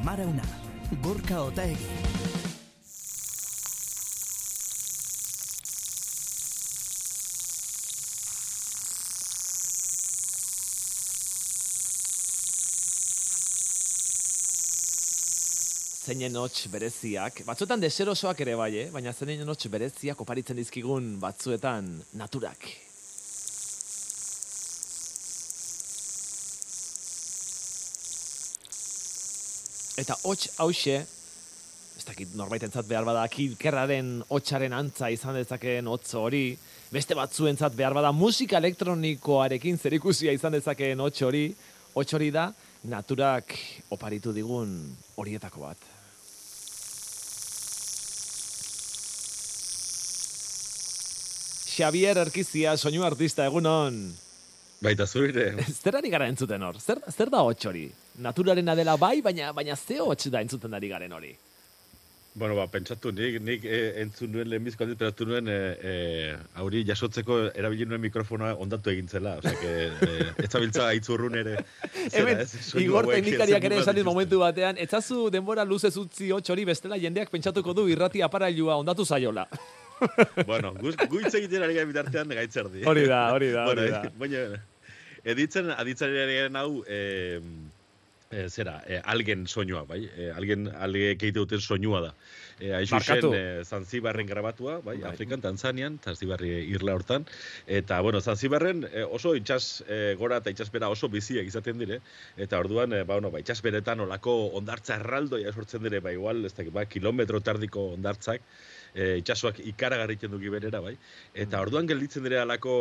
Amarauna, Gorka Otaegi. Zeinen hots bereziak, batzuetan deserosoak ere bai, baina zeinen hots bereziak oparitzen dizkigun batzuetan naturak. Eta hots hauxe, ez dakit norbaitentzat behar bada kilkerraren hotsaren antza izan dezakeen hotz hori, beste batzuentzat behar bada musika elektronikoarekin zerikusia izan dezakeen hots hori da naturak oparitu digun horietako bat. Xavier Erkizia, soinu artista, egunon. Baita zure. Zer ari gara entzuten hor? Zer da hots hori? Naturarena dela bai, baina ze hots da entzuten ari garen hori? Bueno, pentsatu, nik entzun nuen lehenbizko aldiz, pentsatu nuen hauri jasotzeko erabili nuen mikrofonoa ondatu egintzela. Osea, ez zabiltza aitzurrun ere. Hemen, Igor teknikariak ere esan momentu batean, etzazu denbora luzez utzi hots hori bestela jendeak pentsatuko du irrati aparailua ondatu zaiola. Bueno, guitz egiten ari gara bitartean gaitzerdi. Hori da. Baina, aditzen ari hau, algen soinua, bai? Alge keite duten soinua da. Haixuzen, Zanzibarren grabatua, bai? Afrikan, Tanzanian, Zanzibarri irla hortan. Eta, bueno, Zanzibarren oso itxas gora eta itxasbera oso biziak izaten dire. Eta orduan, itxasberetan olako ondartza erraldoia sortzen dire, igual, ez dakit, kilometro tardiko ondartzak. Itxasoak ikaragarritzen duki berera, bai. Eta orduan gelditzen dira alako,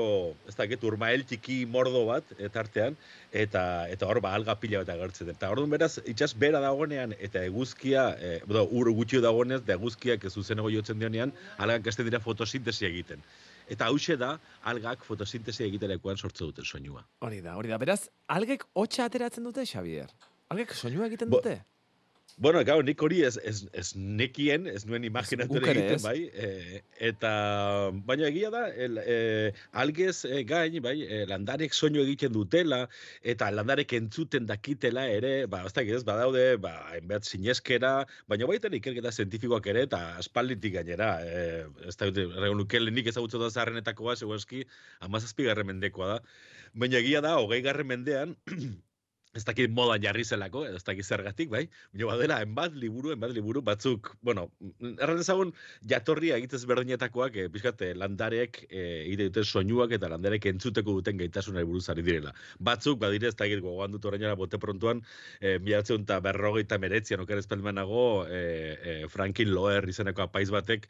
ez dakit, urmael txiki mordo bat, tartean, eta hor alga pila bat agertzen. Eta orduan beraz, itxas bera dagoenean, eta eguzkia, ur gutxio dagoenez, da eguzkiak zuzenago jotzen dionean, algak hasten dira fotosintesia egiten. Eta hauxe da, algak fotosintesia egiterakoan sortzen duten soinua. Hori da. Beraz, algek hotsa ateratzen dute, Xavier? Algek soinua egiten dute? Bueno, gau, nik hori ez nekien, ez nuen imaginatu egiten, bai. Baina egia da, algez gain, bai, landarek soinu egiten dutela, eta landarek entzuten dakitela ere, ez dakit ez, badaude, enbeat sineskera, baina baita ikerketa zientifikoak ere, eta aspalditik gainera, ez dakit, lehenik ezagutzen da zaharrenetako bat, segurazki, 17. mendekoa da. Baina egia da, 20. mendean, ez dakit modan jarri zelako, ez dakit zergatik, bai? Baina badela, enbat liburu batzuk, bueno, erran ezagun jatorria egitez berdinetakoak, pixkat, landarek egite duten soinuak eta landarek entzuteko duten gaitasunari buruz ari direla. Batzuk, badire, ez dakit, gogoan dut orainara bote prontuan, 1949 oker espelmanago, Franklin Loher izeneko apaiz batek,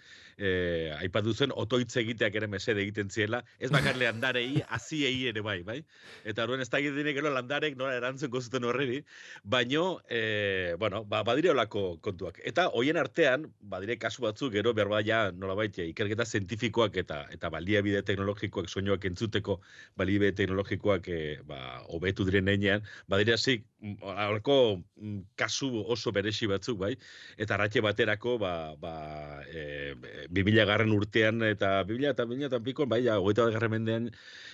aipatu zen, otoitz egiteak ere mesede egiten ziela, ez bakarle landarei, aziei ere bai? Eta horren ez dakit dinek gero landarek nola erantzun zuten horreri, baino, badire olako kontuak. Eta hoien artean, badire kasu batzuk, gero behar baina nolabait ikerketa zientifikoak eta baliabide teknologikoak soinuak entzuteko baliabide teknologikoak hobetu diren heinean, badire hasi, halako kasu oso beresi batzuk, bai, eta arratxe baterako, 2000 urtean eta 2000 eta pikoan, bai, 21. mendean,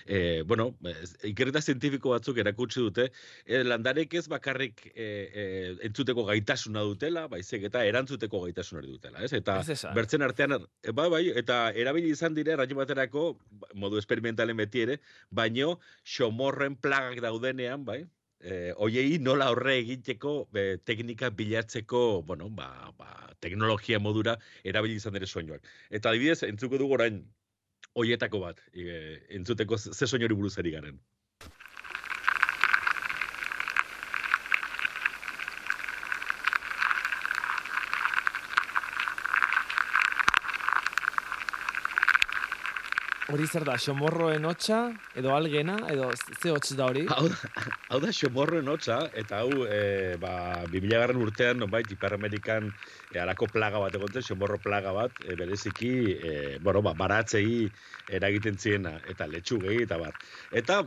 ikerketa zientifiko batzuk erakutsi dute, landarek ez bakarrik entzuteko gaitasuna dutela, baizik eta erantzuteko gaitasuna dutela, ez? Eta bertzen artean, eta erabili izan dire, erraio baterako, modu experimentalen beti ere, baino xomorren plagak daudenean, bai? Hoiei nola horre egiteko teknika bilatzeko, teknologia modura erabili izan dire soinuak. Eta adibidez, entzuko dugu orain hoietako bat, entzuteko ze soinori buruz ari garen. Hori zer da, xomorroen hotsa, edo algena, edo ze hots da hori? Hau da xomorroen hotsa, eta hau 2000. urtean, nonbait, Ipar-Amerikan halako plaga bat egontzen, xomorro plaga bat, bereziki, baratzei eragiten ziena, eta letxugei, eta bar. Eta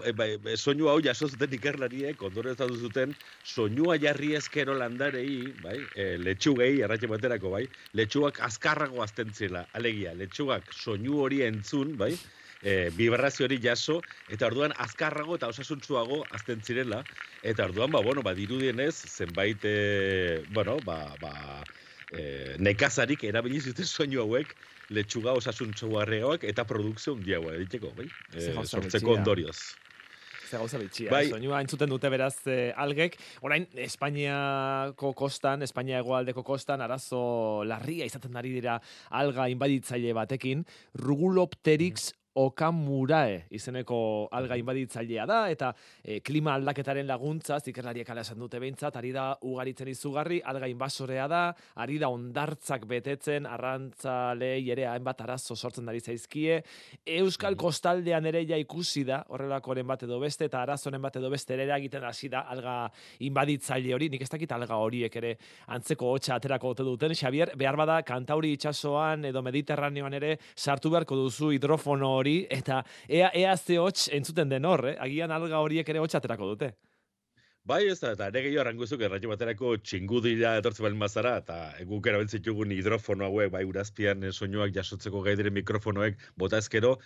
soinu hau jaso zuten ikerlariek, ondoren ez zuten, soinua jarri ezkero landarei, letxugei, erratxe baterako, letxugak azkarrago azten zela, alegia, letxugak soinu hori entzun, vibrazio hori jaso, eta orduan azkarrago eta osasuntsuago azten zirela, eta orduan, dirudienez, zenbait, nekazarik erabili zuten soinu hauek, letxuga osasuntsuarreoak eta produkzio handiagoa egiteko, bai? Sortzeko ondorioz. Ze gauza bitxia, Bai. soinua entzuten dute beraz algek. Orain, Espainiako kostan, Espainia hegoaldeko kostan, arazo larria izaten ari dira alga inbaditzaile batekin, Rugulopteryx okamurae izeneko alga inbaditzailea da, eta klima aldaketaren laguntza, ikerlariek hala esan dute behintzat, ari da ugaritzen izugarri, alga inbasorea da, ari da ondartzak betetzen, arrantzalei ere hainbat arazo sortzen ari zaizkie, Euskal kostaldean ere ja ikusi da, horrelakoren bat edo beste, eta arazoren bat edo beste ere egiten hasi da alga inbaditzaile hori, nik ez dakit alga horiek ere antzeko hotxa aterako ote duten, Xabier, behar bada Kantauri itsasoan edo Mediterraneoan ere sartu beharko duzu hidrofono hori, eta ea ze hots entzuten den hor, agian alga horiek ere hotsa aterako dute. Bai, ez da, eta ere gehiago arranguzuk erratio baterako txingudira etortzen balen bazara, eta guk erabiltzitugun hidrofono hauek, bai, urazpian soinuak jasotzeko gai diren mikrofonoek bota ezkero,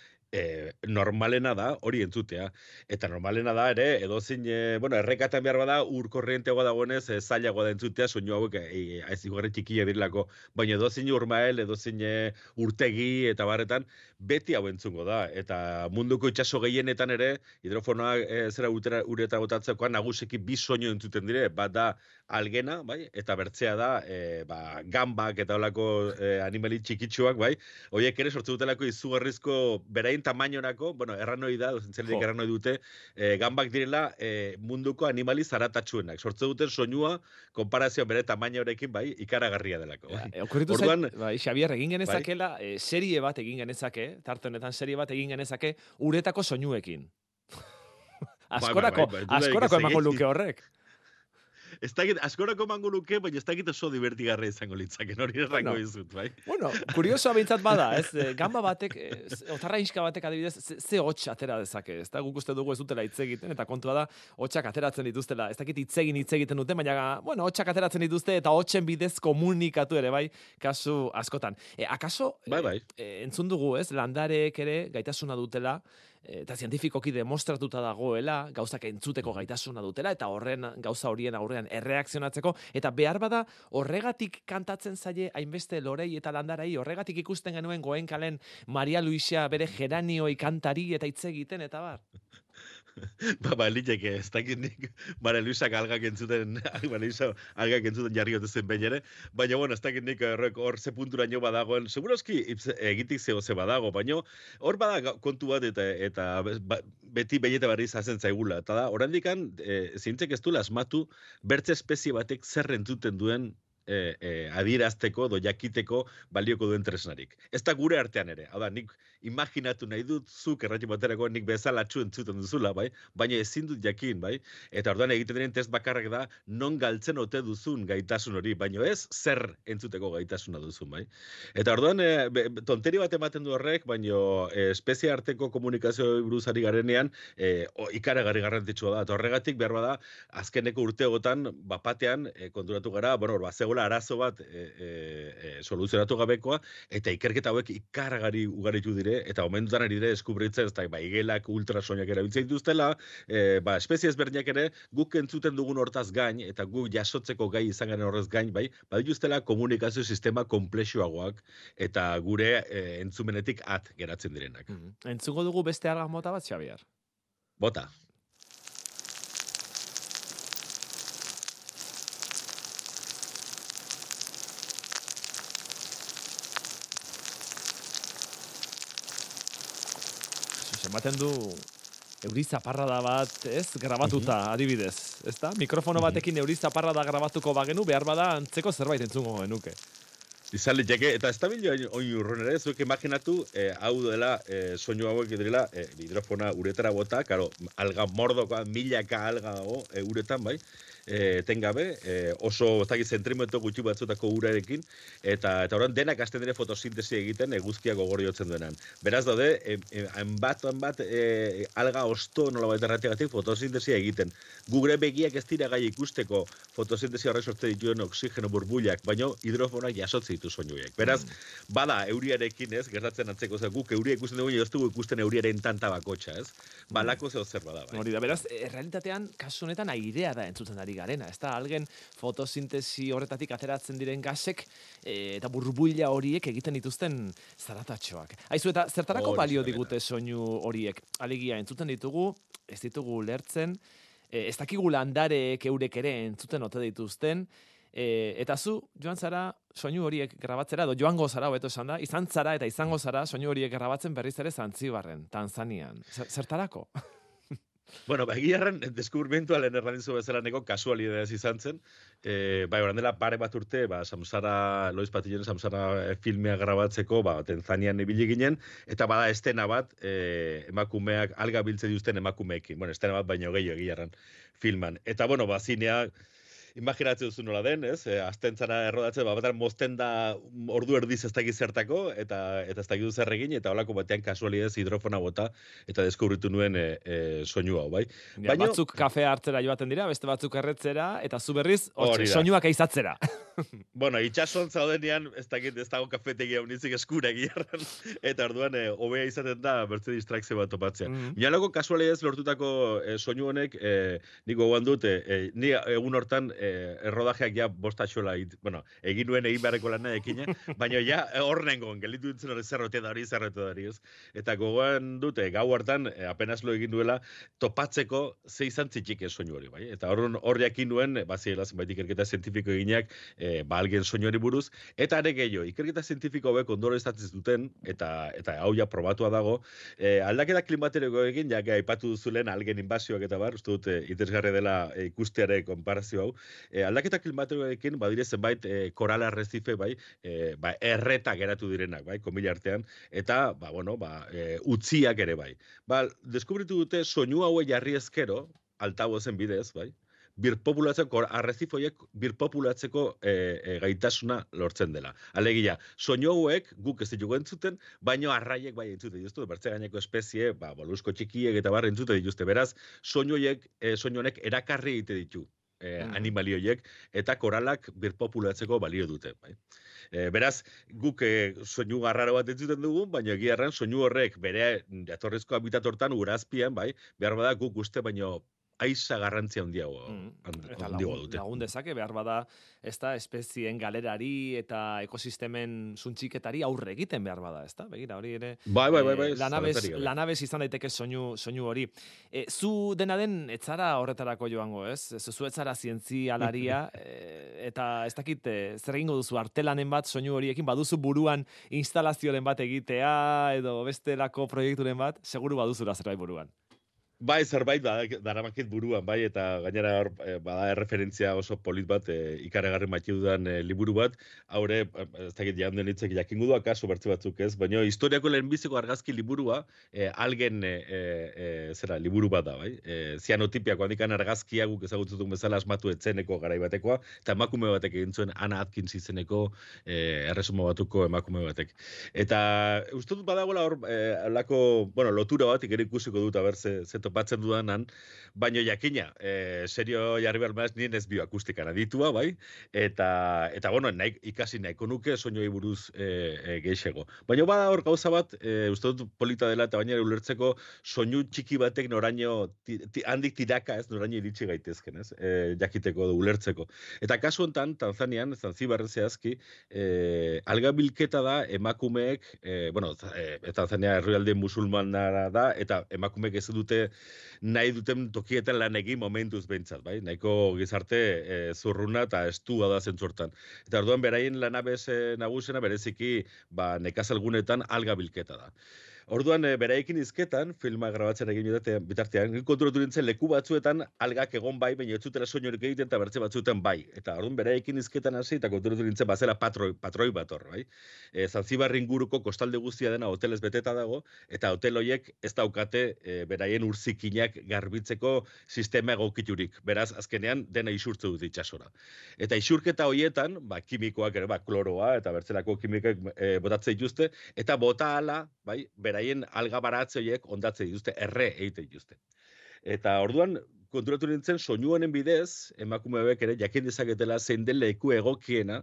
normalena da hori entzutea. Eta normalena da ere, edozin, errekatan behar bada, ur korrienteagoa dagoenez, zailagoa da entzutea, soinu hauek aizigarri txikia direlako. Baina edozin urmael, edozin urtegi, eta barretan, beti hau entzungo da. Eta munduko itsaso gehienetan ere, hidrofonoak zera ureta botatzekoan nagusiki bi soinu entzuten dire, bat da algena, bai, eta bertzea da gambak eta holako animali txikitsuak, bai, horiek ere sortze dutelako izugarrizko berain tamainorako, erranoi da, zentzelik erranoi dute, gambak direla munduko animali zaratatsuenak. Sortze duten soinua, konparazio bere tamainorekin, bai, ikaragarria delako. Okurritu zait, bai, Xabier, egin genezakela, serie bat egin genezake, tarte honetan serie bat egin genezake, uretako soinuekin. Askorako emango luke horrek. Ez dakit, askorako emango luke, baina ez dakit oso divertigarra izango litzaken, hori errango izut, bai? Bueno, kuriosoa behintzat bada, ez? Gamba batek, otarra inska batek adibidez, ze hots atera dezake, ez da? Guk uste dugu ez dutela hitz egiten, eta kontua da, hotsak ateratzen dituztela. Ez dakit hitz egiten dute, baina, hotsak ateratzen dituzte, eta hotsen bidez komunikatu ere, bai, kasu askotan. Akaso, bai. Entzun dugu, ez? Landareek ere gaitasuna dutela, eta zientifikoki demostratuta dagoela, gauzak entzuteko gaitasuna dutela, eta gauza horien aurrean erreakzionatzeko, eta behar bada horregatik kantatzen zaie hainbeste lorei eta landarai, horregatik ikusten genuen Goenkalen Maria Luisa bere geranioi kantari eta hitz egiten, eta bar. Liteke, ez dakit nik Maria Luisa algak entzuten jarri zen behin ere, baina, ez dakit nik hor ze punturaino badagoen, seguroski egitik ze badago, baina hor bada kontu bat eta beti behieta barri zazen zaigula, eta da, orandikan, zientzek ez duela asmatu, bertze espezie batek zer entzuten duen adierazteko, jakiteko balioko duen tresnarik. Ez da gure artean ere. Hau da, nik imaginatu nahi dut zuk erratio baterako nik bezalatxu entzuten duzula, bai? Baina ezin dut jakin, bai? Eta orduan egiten diren test bakarrak da non galtzen ote duzun gaitasun hori, baina ez zer entzuteko gaitasuna duzun, bai? Eta orduan tonteri bat ematen du horrek, baina espezie arteko komunikazio buruzari garenean ikaragarri garrantzitsua da. Eta horregatik behar bada azkeneko urteotan bapatean konturatu gara, zegoela arazo bat soluzionatu gabekoa, eta ikerketa hauek ikaragarri ugaritu dire, eta momentutan ari dire eskubritzen, ez da, igelak, ultrasoinak erabiltzen dituztela, espezie ezberdinak ere, guk entzuten dugun hortaz gain, eta guk jasotzeko gai izan garen horrez gain, badituztela komunikazio sistema komplexuagoak, eta gure entzumenetik at geratzen direnak. Entzuko dugu beste alga mota bat, Xabier? Bota. Ematen du eurizaparrada bat, ez, grabatuta, adibidez, ez da? Mikrofono batekin eurizaparrada grabatuko bagenu, behar bada antzeko zerbait entzungo genuke. Izan liteke, eta ez da oin urrun ere, zuek imaginatu, hau dela, soinu hauek direla, hidrofona uretara bota, karo, alga mordokoa, milaka alga dago uretan, bai, etengabe, oso ez dakit zentrimetro gutxi batzutako urarekin, eta orain denak hasten dire fotosintesi egiten eguzkia gogoriotzen duenan. Beraz daude, hainbat alga osto nolabait errategatik fotosintesi egiten. Gure begiak ez dira gai ikusteko fotosintesi horrek sortzen dituen oxigeno burbuilak, baino hidrofonak jasotzen ditu soinuek. Beraz, bada euriarekin, ez, gertatzen antzeko, guk euria ikusten dugu, ez dugu ikusten euriaren tanta bakotxa, ez? Balako zeo zer bada, bai. Hori da, beraz, realitatean, kasu honetan airea da entzuten ari garena, ez da, algen fotosintesi horretatik ateratzen diren gasek eta burbuila horiek egiten dituzten zaratatxoak. Aizu, eta zertarako balio digute soinu horiek? Alegia, entzuten ditugu, ez ditugu lertzen, ez dakigu landareek eurek ere entzuten ote dituzten, eta zu, joan zara soinu horiek grabatzera, edo joango zara, hobeto esan da, izan zara eta izango zara soinu horiek grabatzen berriz ere Zanzibarren, Tanzanian. Zertarako? Bueno, egiarren, deskubrimentua lehen errandizu bezala neko kasualidadez izan zen. Bai, oran dela pare bat urte, Samsara, Lois Patillonen Samsara filmea grabatzeko, Tanzanian ibili ginen, eta bada estena bat, emakumeak, alga biltze dituzten emakumeekin. Bueno, estena bat baino gehiago egiarren filman. Eta, bueno, zinea, imaginatzen duzu nola den, ez? Astentzara errodatzen, batean mozten da ordu erdiz ez dakiz zertako, eta ez dakiz zer egin, eta holako batean kasualidez hidrofona bota, eta deskubritu nuen soinu hau, bai? Ja, batzuk kafea hartzera joaten dira, beste batzuk erretzera, eta zu berriz, soinuak eizatzera. Bueno, itxason zaudenean, ez dago kafetegia unizik eskura egiarran, eta orduan hobea izaten da bertze distrakzio bat topatzea. Mialako kasualidez lortutako soinu honek, niko gogoan dut, ni egun hortan errodajeak ja bostatxola, egin nuen egin beharreko lana ekina, baina ja hor nengon, gelitu dintzen hori zerrote da hori, ez? Eta gogoan dute, gau hartan, apenas lo egin duela, topatzeko ze izan zitxik soinu hori, bai? Eta hor jakin nuen, baziela zenbait ikerketa zientifiko eginak, algen soinu hori buruz, eta ere gehiago, ikerketa zientifiko hauek ondoro estatzen duten, eta hau ja probatua dago, aldaketa klimateriko egin, ja aipatu duzulen algen inbasioak eta bar, uste dut, interesgarri dela ikusteare konparazio hau, aldaketa klimatikoekin badire zenbait korala arrezife bai, erreta geratu direnak, bai, komila artean, eta utziak ere bai. Deskubritu dute soinu haue jarri ezkero, altabozen bidez, bai, birpopulatzeko, arrezifoiek birpopulatzeko gaitasuna lortzen dela. Alegia, soinu hauek guk ez ditugu entzuten, baino arraiek bai entzute dituzte, bertze gaineko espezie, molusko txikiek eta bar entzute dituzte. Beraz, soinu honek erakarri egite ditu animalioiek, eta koralak birpopulatzeko balio dute. Bai. Beraz, guk soinu garraro bat entzuten dugu, baina egiarren soinu horrek bere jatorrizko habitat hortan urazpian, bai, behar bada guk uste baino aiza garrantzia handiago dute. Lagun dezake, behar bada, ez da, espezien galerari eta ekosistemen suntxiketari aurre egiten behar bada, ez da? Begira, hori ere... Bai. Lanabez izan daiteke soinu hori. Zu dena den, etzara horretarako joango, ez? Zu etzara zientzialaria, eta ez dakit, zer egingo duzu artelanen bat soinu horiekin, baduzu buruan instalazioaren bat egitea, edo bestelako proiekturen bat, seguru baduzura zerbait buruan. Bai, zerbait daramakit buruan, bai, eta gainera bada erreferentzia oso polit bat, ikaragarri mati dudan liburu bat, haure, ez dakit janden hitzek jakingu du akaso bertze batzuk ez, baina historiako lehenbiziko argazki liburua, algen liburu bat da, bai, zianotipiako handikan argazkia guk ezagutzen bezala asmatu etzeneko garai batekoa, eta emakume batek egin zuen Anna Atkins izeneko erresuma batuko emakume batek. Eta uste dut badagoela hor, lotura bat, ikera ikusiko dut, aber ze topatzen dudanan, baino jakina, serio jarri behar maz, nien ez bioakustikara ditua, bai, eta ikasi nahiko nuke soinuei buruz geixego. Baina bada hor gauza bat, uste dut polita dela, eta baina ulertzeko soinu txiki batek noraino, handik tiraka ez, noraino iritsi gaitezken, ez, jakiteko du ulertzeko. Eta kasu hontan, Tanzanian, Zanzibarren zehazki, alga bilketa da emakumeek, Tanzania herrialde musulmanara da, eta emakumeek ez dute nahi duten tokietan lan egin momentuz behintzat, bai? Nahiko gizarte zurruna eta estua da zentzortan. Eta orduan beraien lanabez nagusena bereziki nekazalgunetan alga bilketa da. Orduan, beraiekin izketan, filma grabatzen egin bitartean, konturatu nintzen leku batzuetan algak egon bai, baina ez zutela soinurik egiten eta bertze batzuetan bai. Eta orduan, beraiekin izketan hasi eta konturatu nintzen bazela patroi bat hor, bai. Zanzibar inguruko kostalde guztia dena hotelez beteta dago, eta hotel horiek ez daukate beraien urzikinak garbitzeko sistema egokiturik. Beraz, azkenean, dena isurtze dut itxasora. Eta isurketa horietan, kimikoak ere, kloroa eta bertzelako kimikak botatze dituzte, eta bota ala, bai, beraien alga baratze horiek ondatze dituzte, erre egite dituzte. Eta orduan, konturatu nintzen, soinu honen bidez, emakume hauek ere jakin dezaketela zein den leku egokiena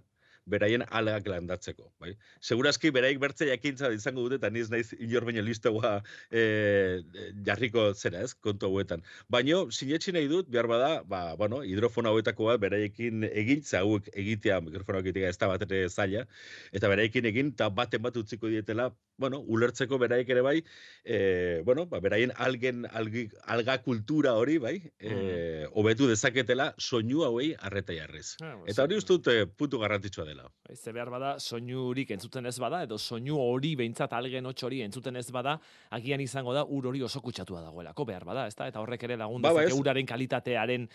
beraien algak landatzeko. Bai? Segurazki, beraik bertze jakintza izango dute, eta niz naiz inor baino listoa jarriko zera, ez, kontu hauetan. Baina, sinetxi nahi dut, behar bada, hidrofono hauetako bat beraiekin egin, hauek egitea, mikrofono egitea ez da bat ere zaila, eta beraiekin egin, eta baten bat utziko dietela, ulertzeko beraik ere bai, beraien alga kultura hori, bai, hobetu dezaketela soinu hauei arreta jarriz. Eta hori uste dut puntu garrantzitsua dela. Ze behar bada, soinurik entzuten ez bada, edo soinu hori behintzat algen hotx hori entzuten ez bada, agian izango da ur hori oso kutsatua dagoelako behar bada, ezta? Eta horrek ere lagun dezake uraren kalitatearen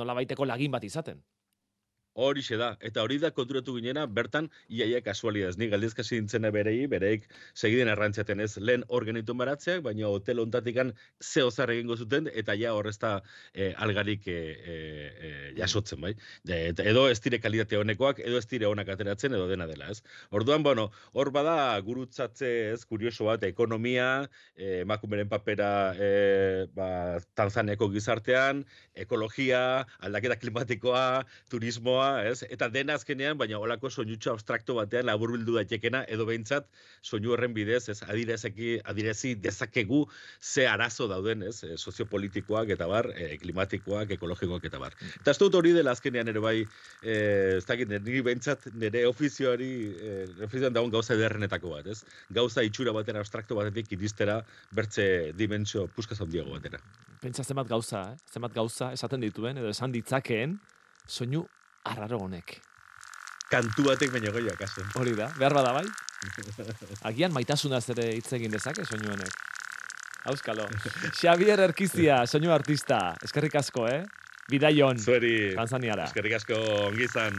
nolabaiteko lagin bat izaten. Horixe da, eta hori da konturatu ginena, bertan, iaia kasualidaz. Ni galdezkasi dintzena bereik segiden arrantzaten ez lehen organitun baratzeak, baina hotel ontatikan zehozar egingo zuten, eta ja horrezta algarik jasotzen, bai. Edo ez dire kalitate honekoak, edo ez dire honak ateratzen, edo dena dela, ez. Orduan, hor bada gurutzatze ez, kurioso bat, ekonomia, emakumeren papera Tanzaniako gizartean, ekologia, aldaketa klimatikoa, turismoa, ez? Eta dena azkenean, baina holako soinutxo abstrakto batean laburbildu daitekena, edo behintzat soinu horren bidez, ez? Adirezi dezakegu ze arazo dauden, ez? Soziopolitikoak eta bar, klimatikoak, ekologikoak eta bar. Eta ez dut hori dela azkenean ere bai, ez dakit, niri behintzat nire ofizioan dagoen gauza ederrenetako bat, ez? Gauza itxura baten abstrakto batetik iristera bertze dimentsio puskaz handiago batera. Pentsa zenbat gauza esaten dituen, edo esan ditzakeen, soinu arraro honek. Kantu batek baino goia, kaso. Hori da, behar bada bai? Agian maitasunaz ere hitz egin dezake soinu honek. Auskalo. Xabier Erkizia, soinu artista. Eskerrik asko, Bidaion. Zueri. Tanzaniara. Eskerrik asko, ongi izan.